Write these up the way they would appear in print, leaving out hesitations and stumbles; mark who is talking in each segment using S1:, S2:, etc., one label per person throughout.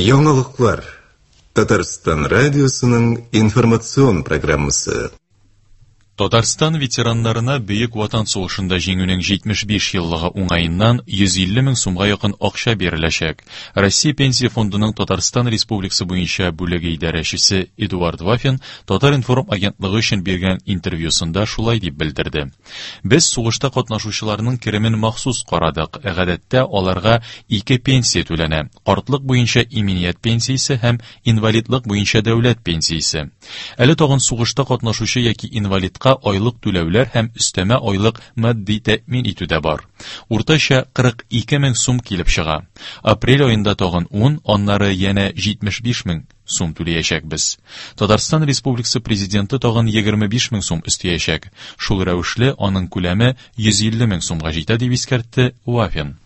S1: Яңалыклар. Татарстан радиосының информацион программасы.
S2: Татарстан ветераннарына Бөек Ватан сугышында җиңүнең 75 еллыгы уңаеннан 150 мең сумга якын акча биреләчәк. Россия Пенсия фондының Татарстан Республикасы буенча бүлеге идарәчесе Эдуард Вафин Татар-информ агентлыгы өчен биргән интервьюсында шулай дип белдерде. Без сугышта катнашучыларның керемен махсус карадык. Гадәттә, аларга ике пенсия түләнә: картлык буенча иминият пенсиясе һәм инвалидлык буенча дәүләт пенсиясе. Әле тагын сугышта катнашучы яки инвалидка айлык түләүләр һәм өстәмә айлык матди тәэмин итү дә бар. Уртача 42 мең сум килеп чыга. Апрель аенда тагын 10, аннары янә 75 мең сум түләячәкбез. Татарстан Республикасы Президенты тагын 25 мең сум өстәячәк. Шул рәвешле аның күләме 150 мең сумга җитә, дип искәртте Вафин.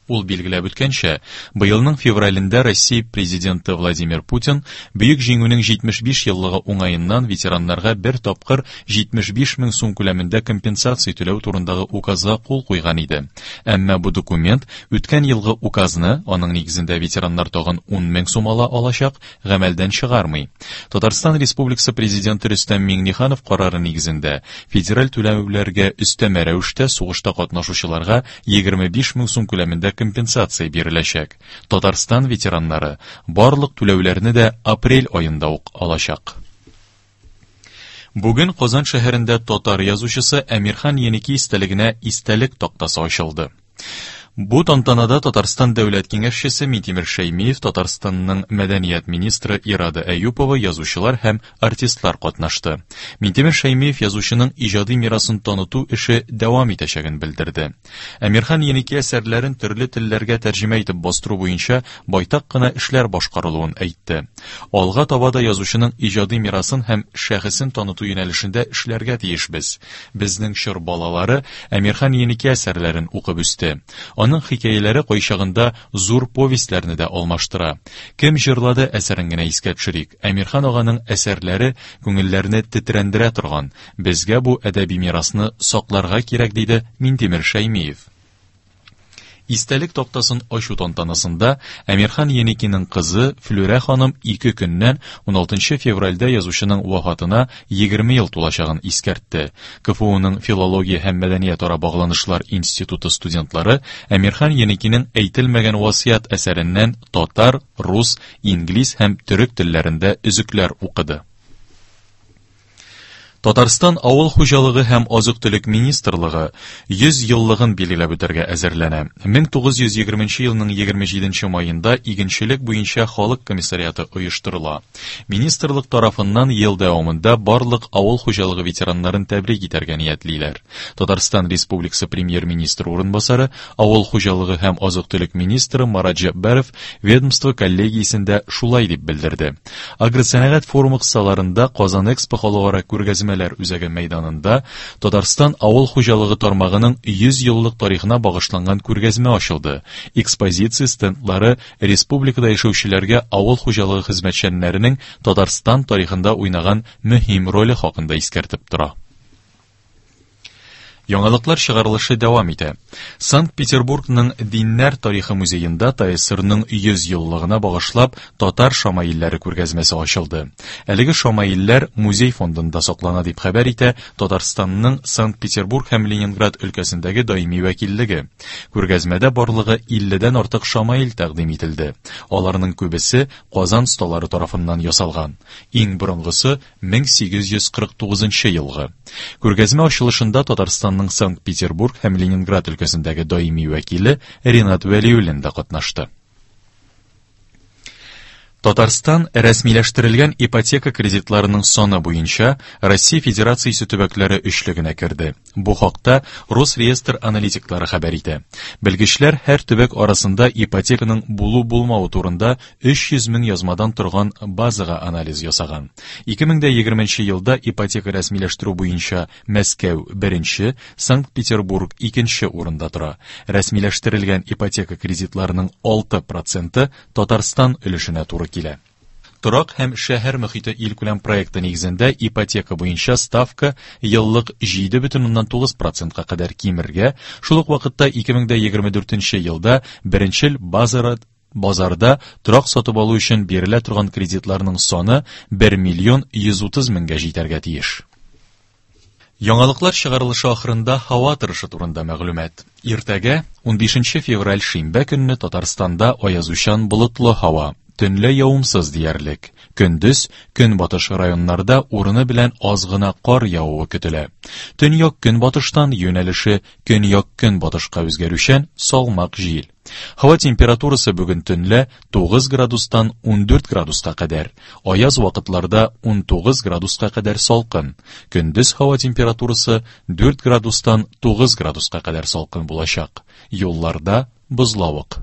S2: Ул билгеләп үткәнчә, быелның февралендә Россия Президенты Владимир Путин Бөек Җиңүнең 75 еллыгы уңаеннан ветераннарга бер тапкыр 75 мең сум күләмендә компенсация түләү турындагы указга кул куйган иде. Әмма бу документ үткән елгы указны, аның нигезендә ветераннар тагын 10 мең сум ала алачак, гамәлдән чыгармый. Татарстан Республикасы Президенты Рөстәм Миңнеханов карары нигезендә федераль түләүләргә өстәмә рәвештә сугышта катнашучыларга 25 мең сум күләмендә компенсация биреләчәк. Татарстан ветераннары барлык түләүләрне дә апрель аенда ук алачак. Бүген Казан шәһәрендә татар язучысы Әмирхан Еники истәлегенә истәлек тактасы ачылды. Бу тантанада Татарстан Дәүләт Киңәшчесе Минтимер Шәймиев, Татарстанның мәдәният министры Ирада Әюпова, язучылар һәм артистлар катнашты. Минтимер Шәймиев язучының иҗади мирасын таныту эше дәвам итәчәген белдерде. Әмирхан Еники әсәрләрен төрле телләргә тәрҗемә итеп бастыру буенча байтак кына эшләр башкарылуын әйтте. Алга таба да язучының иҗади мирасын һәм шәхесен таныту юнәлешендә эшләргә тиешбез. Безнең чор балалары Әмирхан Еники әсәрләрен укып үсте. Аның хикәяләре кайчагында зур повестьләрне дә алмаштыра. Кем җырлады әсәрен генә искә төшерик. Әмирхан аганың әсәрләре күңелләрне тетрәндерә торган. Безгә бу әдәби мирасны сакларга кирәк, диде Минтимер Шәймиев. Истәлек тактасын ачу тантанасында Әмирхан Еникинең кызы Флүрә ханым ике көннән 16 февральдә язучының вафатына 20 ел тулачагын искәртте. КФУның Филология һәм мәдәниятара багланышлар институты студентлары Әмирхан Еникинең Әйтелмәгән васыять әсәреннән татар, рус, инглиз һәм төрек телләрендә өзекләр укыды. Татарстан Авыл хуҗалыгы һәм азык-төлек министрлыгы 100 еллыгын билгеләп үтәргә әзерләнә. 1920 елның 27 маенда игенчелек буенча халык комиссариаты оештырыла. Министрлык тарафыннан ел дәвамында барлык авыл хуҗалыгы ветераннарын тәбрик итәргә ниятлиләр. Татарстан Республикасы премьер-министры урынбасары, авыл хуҗалыгы һәм азык-төлек министры Марат Җәббаров ведомство коллегиясендә шулай дип белдерде. Агросәнәгать форумы кысаларында Казан Экспо халыкара күргәзмәләр үзәге мәйданында Татарстан авыл хуҗалыгы тармагының 100 еллык тарихына багышланган күргәзмә ачылды. Экспозиция стендлары республикада яшәүчеләргә авыл хуҗалыгы хезмәтчәннәренең Татарстан тарихында уйнаган мөһим роле хакында искәртеп тора. Яңалыклар чыгарылышы дәвам итә. Санкт-Петербургның Диннәр тарихы музеенда ТАССРның 100 еллыгына багышлап татар шамаилләре күргәзмәсе ачылды. Әлеге шамаилләр музей фондында саклана дип хәбәр итә Татарстанның Санкт-Петербург һәм Ленинград өлкәсендәге даими вәкиллеге. Күргәзмәдә барлыгы 50-дән артык шамаил тәкъдим ителде. Аларның күбесе Казан осталары тарафыннан ясалган. Иң борынгысы 1849 елгы. Күргәзмә ачылышында Татарстанның Санкт-Петербург һәм Ленинград өлкәсендәге даими вәкиле Ринат Вәлиуллин да катнашты. Татарстан рәсмиләштерелгән ипотека кредитларының саны буенча Россия Федерациясе төбәкләре өчлегенә керде. Бу хакта Росреестр аналитиклары хәбәр итә. Белгечләр һәр төбәк арасында ипотеканың булу-булмавы турында 300 мең язмадан торган базага анализ ясаган. 2020 елда ипотека рәсмиләштерү буенча Мәскәү беренче, Санкт-Петербург икенче урында тора. Рәсмиләштерелгән ипотека кредитларының 6 проценты Татарстан өлешенә туры килә. Торак һәм шәһәр мөхите илкүләм проекты нигезендә ипотека буенча ставка еллык 7,9 процентка кадәр кимергә, шул ук вакытта 2024 елда беренчел база Базарда торак сатып алу өчен бирелә торган кредитларның саны 1 миллион 130 меңгә җитәргә тиеш. Яңалыклар чыгарылышы ахырында һава торышы турында мәгълүмат. Иртәгә, 15 февраль шимбә көнне Татарстанда аязучан болытлы һава, төнлә явымсыз диярлек. Көндез көнбатыш районнарда урыны белән аз гына кар явуы көтелә. Төньяк-көнбатыштан юнәлеше көньяк-көнбатышка үзгәрүчән салмак җил. Һава температурасы бүген төнлә 9 градустан 14 градуска кадәр, аяз вакытларда 19 градуска кадәр салкын. Көндез һава температурасы 4 градустан 9 градуска кадәр салкын булачак. Юлларда бозлавык.